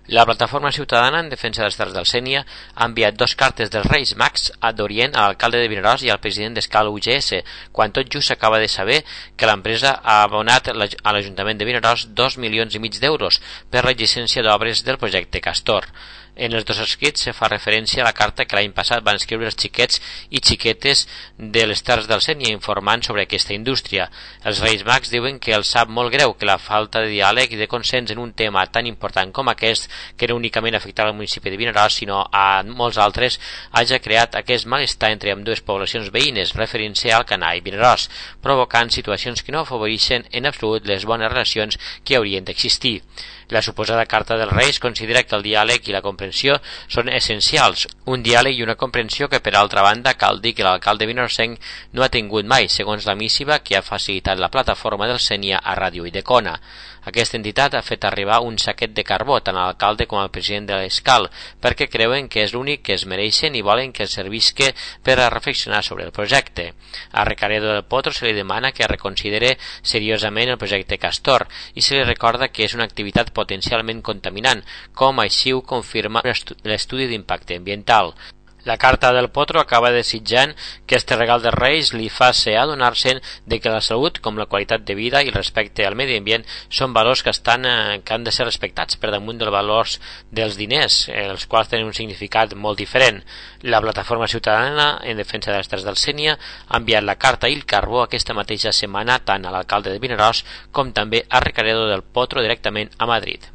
La plataforma ciutadana en defensa dels Terres del Sénia ha enviat 2 cartes dels Reis Mags d'Orient a l'alcalde de Vinaròs i al president d'Escal UGS, quan tot just s'acaba de saber que l'empresa ha abonat a l'Ajuntament de Vinaròs 2,5 milions d'euros per la llicència d'obres del projecte Castor. En els 2 escrits se fa referència a la carta que l'any passat van escriure els xiquets i xiquetes de les Terres del Sénia informant sobre aquesta indústria. Els Reis Mags diuen que els sap molt greu que la falta de diàleg i de consens en un tema tan important com aquest, que no únicament afectarà al municipi de Vinaròs sinó a molts altres, hagi creat aquest malestar entre ambdues poblacions veïnes, referint-se a Alcanar i Vinaròs, provocant situacions que no afavoreixen en absolut les bones relacions que haurien d'existir. La suposada carta dels Reis considera que el diàleg i la comprensió són essencials, un diàleg i una comprensió que per altra banda cal dir que l'alcalde vinaròsenc no ha tingut mai, segons la missiva que ha facilitat la plataforma del Sénia a Ràdio Idecona. Aquesta entitat ha fet arribar un saquet de carbó tant a l'alcalde com al president de l'Escal, perquè creuen que és l'únic que es mereixen i volen que servisca per a reflexionar sobre el projecte. A Recaredo del Potro se li demana que reconsidere seriosament el projecte Castor i se li recorda que és una activitat potencialment contaminant, com així ho confirma l'estudi d'impacte ambiental. La carta del Potro acaba desitjant que este regal dels Reis li faci adonar-se'n de que la salut, com la qualitat de vida i el respecte al medi ambient, són valors que han de ser respectats per damunt dels valors dels diners, els quals tenen un significat molt diferent. La plataforma ciutadana en defensa de les Terres del Sénia ha enviat la carta i el carbó aquesta mateixa setmana tant a l'alcalde de Vinaròs com també a Recaredo del Potro directament a Madrid.